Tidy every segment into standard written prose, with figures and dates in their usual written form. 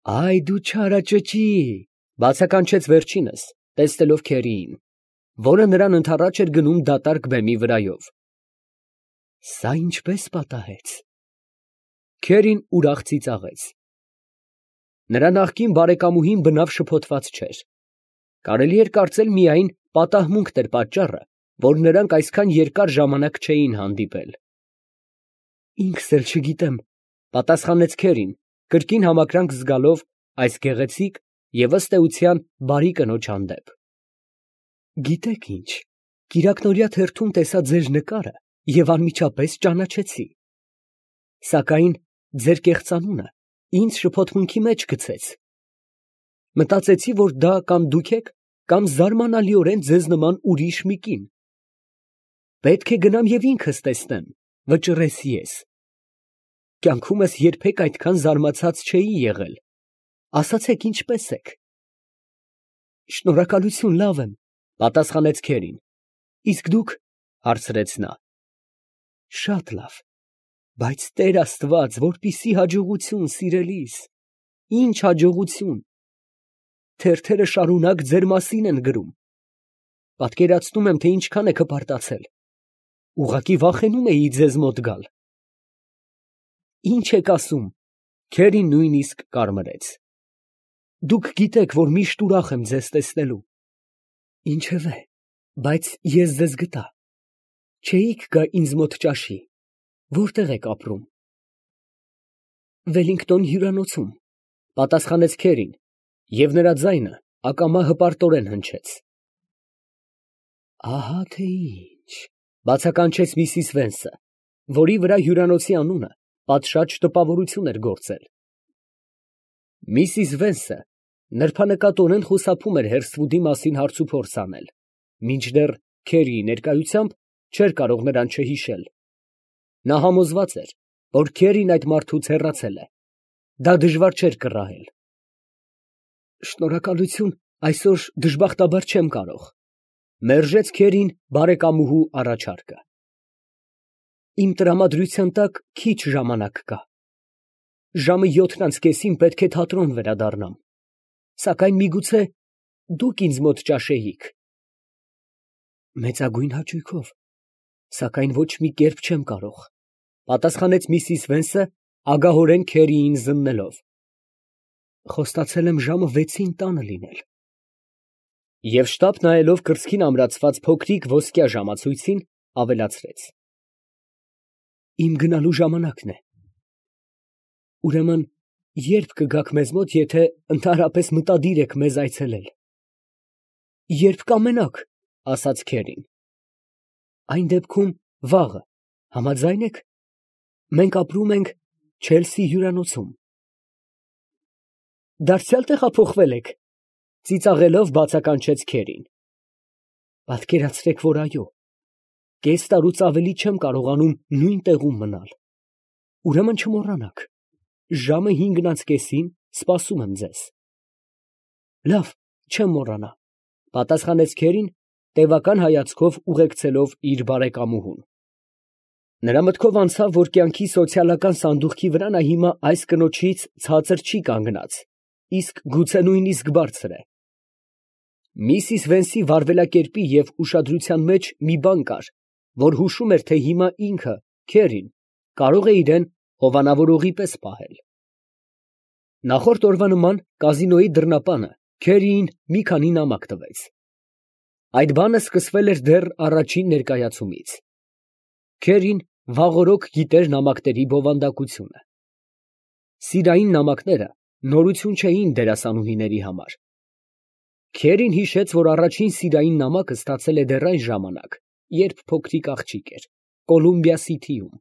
Այ դու չարաճճի, բացականչեց վերջինս, տեսնելով Քերիին, որը նրան ընդառաջ էր գնում դատարկ բեմի վրայով։ Սա ինչպես պատահեց։ Քերին ուրախ ծիծաղեց։ Նրա նախկին բարեկամուհին բնավ շփոթված չէր։ Կարելի էր կարծել միայն պատահմունքն էր պատճառը, որ նրանք այսքան երկար ժամանակ չէին հանդիպել։ Ինքս էլ չգիտեմ, պատասխանեց Քերին, կրկին համակրանք զգալով այս գեղեցիկ և ըստ էության բարի կնոջ հանդեպ։ Գիտեք ինչ, կիրակնօրյա թերթում տեսա ձեր նկարը և անմիջապես ճանաչեցի։ Սակայն ձեր կեղծանունը ինձ շփոթմունքի մեջ գցեց։ Մտածեցի, որ դա կամ դուք եք, կամ զարմանալիորեն ձեզ նման ուրիշ մի կին։ Պետք է գնամ և ինքս տեսնեմ, վճռեց ես։ Կյանքումս երբեք այդքան զարմացած չէի եղել։ Ասացեք, ինչպե՞ս եք։ Շնորհակալություն, լավ եմ, պատասխանեց Քերին։ Իսկ դուք, հարցրեց նա։ Շատ լավ, բայց Տեր Աստված, որպիսի հաջողություն, սիրելիս, ինչ հաջողություն։ Թերթերը շարունակ ձեր մասին են գրում։ Պատկերացնում եմ, թե ինչքան եք հպարտացել։ Ուղղակի վախենում էի ձեզ մոտ գալ։ Ինչ եք ասում։ Քերին նույնիսկ կարմրեց։ Դուք գիտեք, որ միշտ ուրախ եմ ձեզ տեսնելու։ Ինչևէ, բայց ես ձեզ գտա։ Չէիք գա ինձ մոտ ճաշի։ Որտեղ եք ապրում։ Վելինգտոն հյուրանոցում, պատասխանեց Քերին, և նրա ձայնը ակամա հպարտորեն հնչեց։ Ահա թե ինչ, բացականչեց Միսիս Վենսը, որի վրա հյուրանոցի անունը պատշաճ տպավորություն էր գործել։ Միսիս Վենսը նրբանկատորեն խուսափում էր Հերսթվուդի մասին հարցուփորձ անել, մինչդեռ Քերիի ներկայությամբ չէր կարող նրան չհիշել։ Նա համոզված էր, որ Քերին այդ մարդուց հեռացել է։ Դա դժվար չէր կռահել։ Շնորհակալություն, այսօր դժբախտաբար չեմ կարող, մերժեց Քերին բարեկամուհու առաջարկը։ Իմ տրամադրության տակ քիչ ժամանակ կա։ Ժամը 7:30-ին պետք է թատրոն վերադառնամ, սակայն միգուցե դուք ինձ մոտ ճաշեիք։ Մեծագույն հաճույքով, սակայն ոչ մի կերպ չեմ կարող, պատասխանեց Միսիս Վենսը, ագահորեն Քերիին զննելով։ Խոստացել եմ ժամը 6-ին տանը լինել։ Եվ շտապ նայելով կրծքին ամրացված փոքրիկ ոսկյա ժամացույցին, ավելացրեց. Իմ գնալու ժամանակն է։ Ուրեմն, երբ կգաք մեզ մոտ, եթե ընդհանրապես մտադիր եք մեզ այցելել։ Երբ կամենաք, ասաց Քերին։ Այն դեպքում վաղը, համաձայն եք։ Մենք ապրում ենք Չելսի հյուրանոցում։ Դարձյալ տեղափոխվել եք, ծիծաղելով բացականչեց Քերին։ Պատկերացրեք, որ այո, կես տարուց ավելի չեմ կարողանում նույն տեղում մնալ։ Ուրեմն չմոռանաք, ժամը 5:30-ին սպասում եմ ձեզ։ Լավ, չեմ մոռանա, պատասխանեց Քերին, տևական հայացքով ուղեկցելով իր բարեկամուհուն։ Նրա մտքով անցավ, որ կյանքի սոցիալական սանդուղքի վրա նա հիմա այս կնոջից ցածր չի կանգնած, իսկ գուցե նույնիսկ բարձր է։ Միսիս Վենսի վարվելակերպի և ուշադրության մեջ մի բան կար, որ հուշում էր, թե հիմա ինքը, Քերին, կարող է իրեն հովանավորողի պես պահել։ Նախորդ օրվա նման կազինոյի դռնապանը Քերիին մի քանի նամակ տվեց։ Այդ բանը սկսվել էր դեռ առաջին ներկայացումից։ Քերին վաղօրոք գիտեր նամակների բովանդակությունը։ Սիրային նամակները նորություն չէին դերասանուհիների համար։ Քերին հիշեց, որ առաջին սիրային նամակը ստացել է դեռ այն ժամանակ, երբ փոքրիկ աղջիկ էր, Կոլումբիա Սիթիում։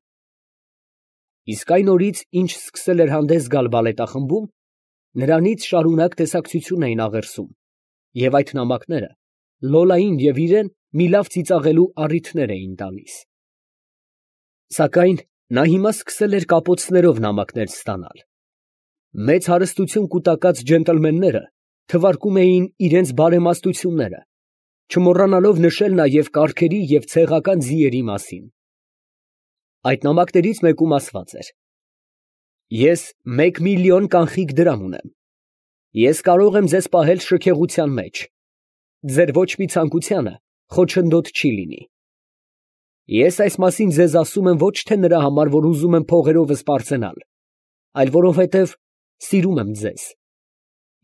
Իսկ այն օրից, ինչ սկսել էր հանդես գալ բալետախմբում, նրանից շարունակ տեսակցություն էին աղերսում, և այդ նամակները Լոլային և իրեն մի լավ ծիծաղելու առիթներ էին տալիս։ Սակայն նա հիմա սկսել էր կապոցներով նամակներ ստանալ։ Մեծ հարստություն կուտակած ջենտլմենները թվարկում էին իրենց բարեմաստությունները, չմոռանալով նշել նաև կառքերի և ցեղական ձիերի մասին։ Այդ նամակներից մեկում ասված էր. Ես 1 միլիոն կանխիկ դրամ ունեմ, Ես կարող եմ ձեզ պահել շքեղության մեջ, ձեր ոչ մի ցանկությանը խոչընդոտ չի լինի։ Ես այս մասին ձեզ ասում եմ ոչ թե նրա համար, որ ուզում եմ փողերովս պարծենալ, այլ որովհետև սիրում եմ ձեզ,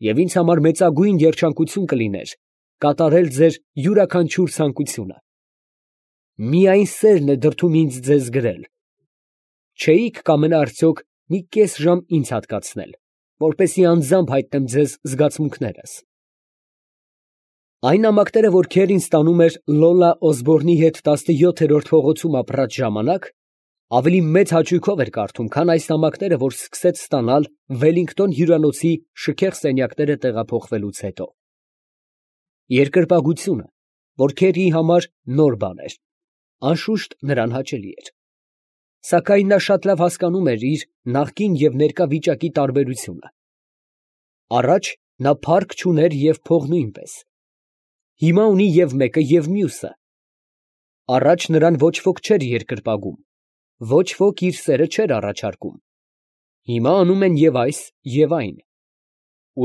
և ինձ համար մեծագույն երջանկություն կլիներ կատարել ձեր յուրաքանչյուր ցանկությունը։ Միայն սերն է դրդում ինձ ձեզ գրել։ Չէիք կամենա արդյոք մի կես ժամ ինձ հատկացնել, որպեսզի անձամբ հայտնեմ ձեզ զգացմունքներս։ Այն նամակները, որ Քերին ստանում էր Լոլա Օսբորնի հետ 17-րդ փողոցում ապրած ժամանակ, ավելի մեծ հաճույքով էր կարդում, քան այս նամակները, որ սկսեց ստանալ Վելլինգտոն հյուրանոցի շքեղ սենյակները տեղափոխվելուց հետո։ Երկրպագությունը, որ Քերիի համար նոր բան էր, անշուշտ նրան հաճելի էր։ Սակայն նա շատ լավ հասկանում էր իր նախկին և ներկա վիճակի տարբերությունը։ Առաջ նա փառք չուներ և փող նույնպես։ Հիմա ունի և մեկը, և մյուսը։ Առաջ նրան ոչ ոք չէր երկրպագում, ոչ ոք իր սերը չէր առաջարկում։ Հիմա անում են և այս, և այն։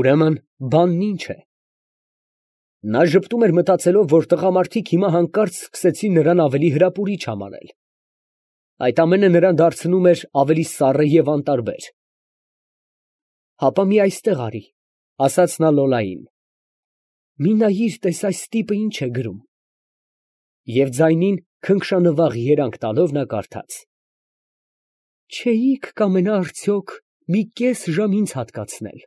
Ուրեմն բանն ի՞նչ է։ Նա ժպտում էր մտածելով, որ տղամարդիկ հիմա հանկարծ սկսեցին նրան ավելի հրապուրիչ համարել։ Այդ ամենը նրան դարձնում էր ավելի սառը և անտարբեր։ Հապա մի այստեղ արի, ֊ ասաց նա Լոլային։ Մի նայիր, տես այս տիպը ինչ է գրում։ Եվ ձայնին քնքշանվաղ երանգ տալով նա կարդաց. Չէիք կամենա արդյոք մի կես ժամ ինձ հատկացնել։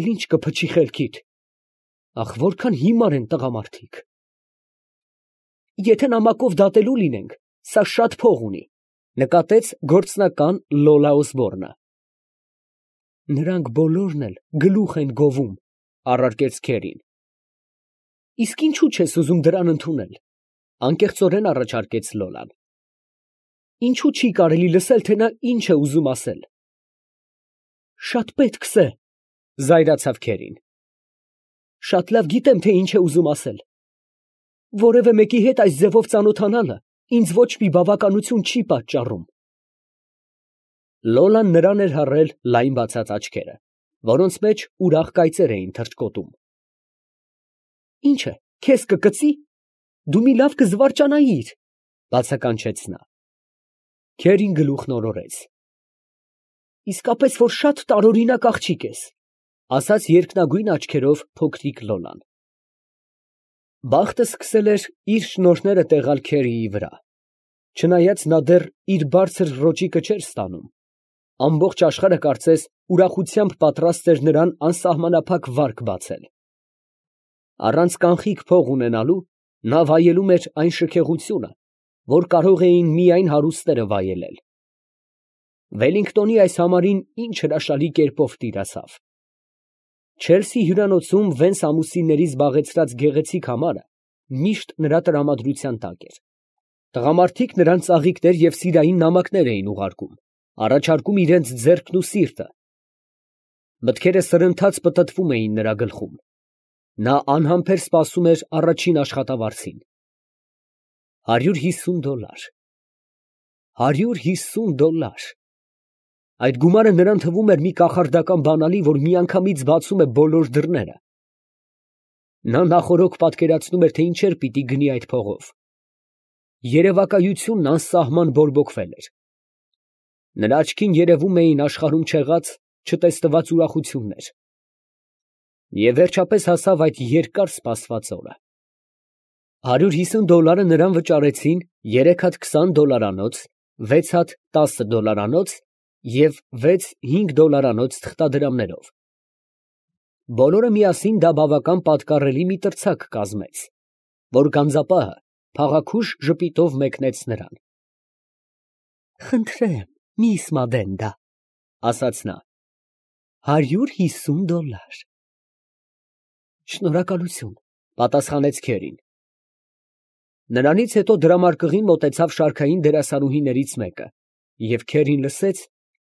Էլ ինչ կփչի խելքիդ։ Ախ, որքան հիմար են տղամարդիկ։ Եթե նամակով դատելու լինենք, սա շատ փող ունի, նկատեց գործնական Լոլա Օսբորնը։ Նրանք բոլորն էլ գլուխ են գովում, առարկեց Քերին։ Իսկ ինչու չես ուզում դրան ընդունել, անկեղծորեն առաջարկեց Լոլան։ Ինչու չի կարելի լսել, թե նա ինչ է ուզում ասել։ Շատ պետքս է, զայրացավ Քերին։ Շատ լավ գիտեմ, թե ինչ է ուզում ասել։ Որևէ մեկի հետ այս ձևով ծանոթանալը ինձ ոչ մի բավականություն չի պատճառում։ Լոլան նրան էր հառել լայն բացած աչքերը, որոնց մեջ ուրախ կայծեր էին թռչկոտում։ Ինչ է, քեզ կկծի։ Դու մի լավ կզվարճանայիր, բացականչեց նա։ Քերին գլուխն օրորեց։ Իսկապես որ շատ տարօրինակ աղջիկ ես, ասաց երկնագույն աչքերով փոքրիկ Լոլան։ Բախտը սկսել էր իր շնորհները տեղալ Քերիի վրա։ Չնայած նա դեռ իր բարձր ռոճիկը չէր ստանում, ամբողջ աշխարհը կարծես ուրախությամբ պատրաստ էր նրան անսահմանափակ վարկ բացել։ Առանց կանխիկ փող ունենալու նա վայելում էր այն շքեղությունը, որ կարող էին միայն հարուստները վայելել։ Վելլինգտոնի այս համարին ինչ հրաշալի կերպով տիրացավ։ Չելսի հյուրանոցում վեց ամուսինների զբաղեցրած գեղեցիկ համարը միշտ նրա տրամադրության տակ էր։ Տղամարդիկ նրան ծաղիկներ և սիրային նամակներ էին ուղարկում, առաջարկում իրենց ձեռքն ու սիրտը։ Մտքերը սրընթաց պտտվում էին նրա գլխում։ Նա անհամբեր սպասում էր առաջին աշխատավարձին։ $150։ $150։ Այդ գումարը նրան թվում էր մի կախարդական բանալի, որ միանգամից բացում է բոլոր դռները։ Նա նախօրոք պատկերացնում էր, թե ինչեր պիտի գնի այդ փողով։ Երևակայությունն անսահման բորբոքվել էր։ Նրա աչքին երևում էին աշխարհում չեղած, չտեսնված ուրախություններ։ Եվ վերջապես հասավ այդ երկար սպասված օրը։ $150 նրան վճարեցին 3 հատ $20, 6 հատ $10 և 6 $5 թղթադրամներով։ Բոլորը միասին դա բավական պատկառելի մի տրցակ կազմեց, որ գանձապահը փաղաքուշ ժպիտով մեկնեց նրան։ Խնդրեմ, միս Մադենդա, ասաց նա, $150։ Շնորհակալություն, պատասխանեց Քերին։ Նրանից հետո դրամարկղին մոտեցավ շարքային դերասանուհիներից մեկը, և Քերին լսեց,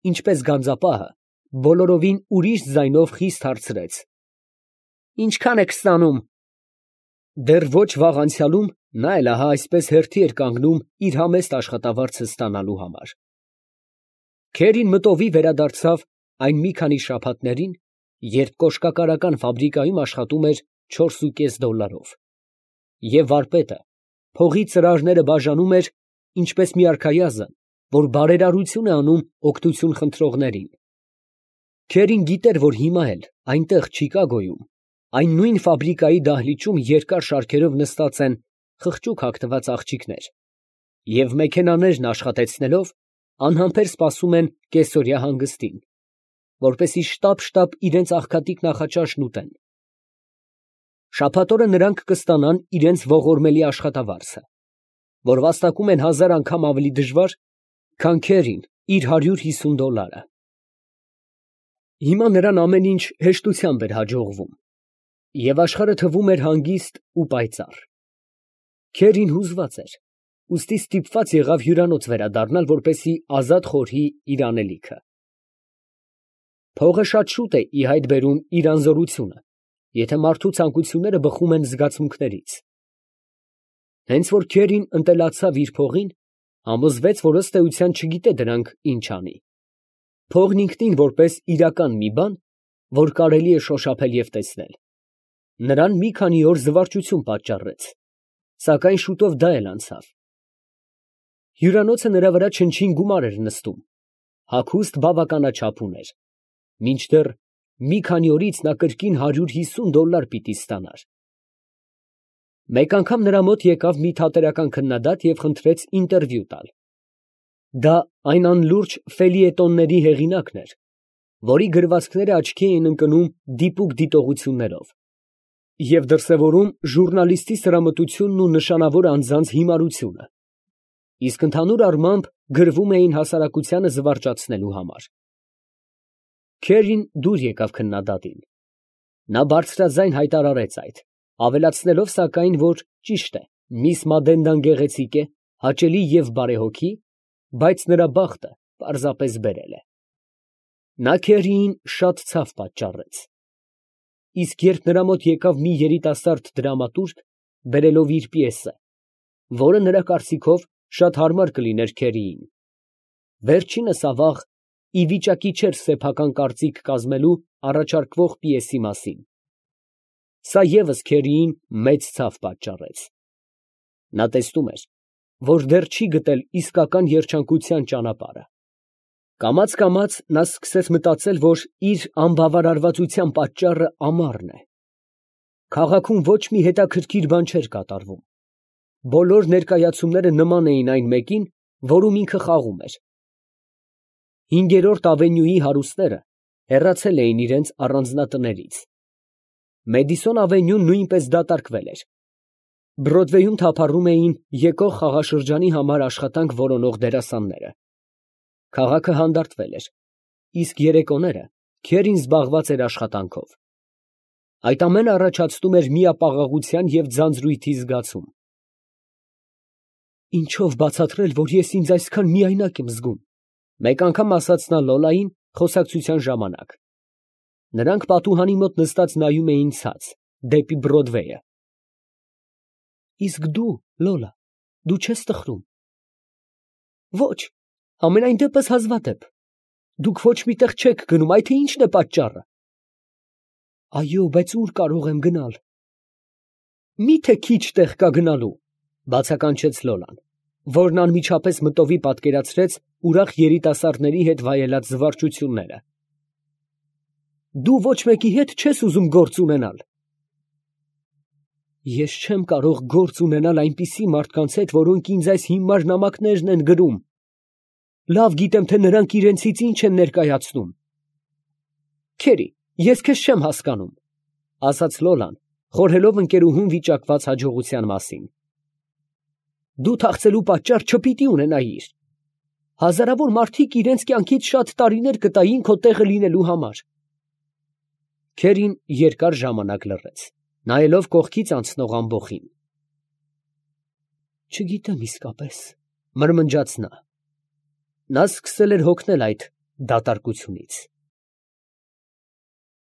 ինչպես գանձապահը բոլորովին ուրիշ ձայնով խիստ հարցրեց. Ինչքան եք ստանում։ Դեռ ոչ վաղ անցյալում նա էլ ահա այսպես հերթի էր կանգնում իր համեստ աշխատավարձը ստանալու համար։ Քերին մտովի վերադարձավ այն մի քանի շաբաթներին, երբ կոշկակարական ֆաբրիկայում աշխատում էր 4,5 դոլարով, և վարպետը փողի ծրարները բաժանում էր, ինչպես մի արքայազն, որ բարերարություն է անում օգնություն խնդրողներին։ Քերին գիտեր, որ հիմա էլ այնտեղ Չիկագոյում, այն նույն ֆաբրիկայի դահլիճում երկար շարքերով նստած են խղճուկ հագնված աղջիկներ, և մեքենաներն աշխատեցնելով անհամբեր սպասում են կեսօրյա հանգստին, որպեսզի շտապ իրենց աղքատիկ նախաճաշն ուտեն։ Շաբաթ օրը նրանք կստանան իրենց ողորմելի աշխատավարձը, որ վաստակում են 1000 անգամ ավելի դժվար, քան Քերին իր 150 դոլարը։ Հիմա նրան ամեն ինչ հեշտությամբ էր հաջողվում, և աշխարհը թվում էր հանգիստ ու պայծառ։ Քերին հուզված էր, ուստի ստիպված եղավ հյուրանոց վերադառնալ, որպեսզի ազատ խորհի իր անելիքը։ Փողը շատ շուտ է ի հայտ բերում իր անզորությունը, եթե մարդու ցանկությունները բխում են զգացմունքներից։ Հենց որ Քերին ընտելացավ իր փողին, համոզվեց, որ ըստ էության չգիտե դրանք ինչ անի։ Փողն ինքնին որպես իրական մի բան, որ կարելի է շոշափել և տեսնել, նրան մի քանի օր զվարճություն պատճառեց, սակայն շուտով դա էլ անցավ։ Հյուրանոցը նրա վրա չնչին գումար էր նստում, հագուստ բավականաչափ ուներ, մինչդեռ մի քանի օրից նա կրկին 150 դոլար պիտի ստանար։ Մեկ անգամ նրա մոտ եկավ մի թատերական քննադատ և խնդրեց ինտերվյու տալ։ Դա այն անլուրջ ֆելիետոնների հեղինակն էր, որի գրվածքները աչքի էին ընկնում դիպուկ դիտողություններով և դրսևորում ժուռնալիստի սրամտությունն ու նշանավոր անձանց հիմարությունը, իսկ ընդհանուր առմամբ գրվում էին հասարակությանը զվարճացնելու համար։ Քերին դուր եկավ քննադատին։ Նա բարձրաձայն հայտարարեց այդ, ավելացնելով սակայն, որ ճիշտ է, միս Մադենդան գեղեցիկ է, հաճելի և բարեհոգի, բայց նրա բախտը պարզապես բերել է։ Նա Քերիին շատ ցավ պատճառեց։ Իսկ երբ նրա մոտ եկավ մի երիտասարդ դրամատուրգ, բերելով իր պիեսը, որը նրա կարծիքով շատ հարմար կլիներ Քերիին, վերջինս ավաղ ի վիճակի չէր սեփական կարծիք կազմելու առաջարկվող պիեսի մասին։ Սա ևս Քերիին մեծ ցավ պատճառեց։ Նա տեսնում էր, որ դեռ չի գտել իսկական երջանկության ճանապարհը։ Կամաց նա սկսեց մտածել, որ իր անբավարարվածության պատճառը ամառն է։ Քաղաքում ոչ մի հետաքրքիր բան չէր կատարվում։ Բոլոր ներկայացումները նման էին այն մեկին, որում ինքը խաղում էր։ 5-րդ ավենյուի հարուստները հեռացել էին իրենց առանձնատներից։ Մեդիսոն ավենյուն նույնպես դատարկվել էր։ Բրոդվեյում թափառում էին եկող խաղաշրջանի համար աշխատանք որոնող դերասանները։ Քաղաքը հանդարտվել էր, իսկ երեկոները Քերին զբաղված էր աշխատանքով։ Այդ ամենը առաջացնում էր միապաղաղության և ձանձրույթի զգացում։ Ինչո՞վ բացատրել, որ ես ինձ այսքան միայնակ եմ զգում, մեկ անգամ ասաց նա Լոլային խոսակցության ժամանակ։ Նրանք պատուհանի մոտ նստած նայում էին ցած, դեպի Բրոդվեյը։ Իսկ դու, Լոլա, դու չե՞ս տխրում։ Ոչ, համենայն դեպս հազվադեպ։ Դուք ոչ մի տեղ չեք գնում, այդ թե ի՞նչն է պատճառը։ Այո, բայց ո՞ւր կարող եմ գնալ։ Մի՞թե քիչ տեղ կա գնալու, բացականչեց Լոլան, որն անմիջապես մտովի պատկերացրեց ուրախ երիտասարդների հետ վայելած զվարճությունները։ Դու ոչ մեկի հետ չես ուզում գործ ունենալ։ Ես չեմ կարող գործ ունենալ այնպիսի մարդկանց հետ, որոնք ինձ այս հիմար նամակներն են գրում։ Լավ գիտեմ, թե նրանք իրենցից ինչ են ներկայացնում։ Քերի, ես քեզ չեմ հասկանում, ասաց Լոլան, խորհելով ընկերուհուն վիճակված հաջողության մասին։ Դու թախծելու պատճառ չպիտի ունենայիր։ Հազարավոր մարդիկ իրենց կյանքից շատ տարիներ կտային քո տեղը լինելու համար։ Քերին երկար ժամանակ լռեց, նայելով կողքից անցնող ամբոխին։ Չգիտեմ իսկապես, մրմնջաց նա։ Նա սկսել էր հոգնել այդ դատարկությունից։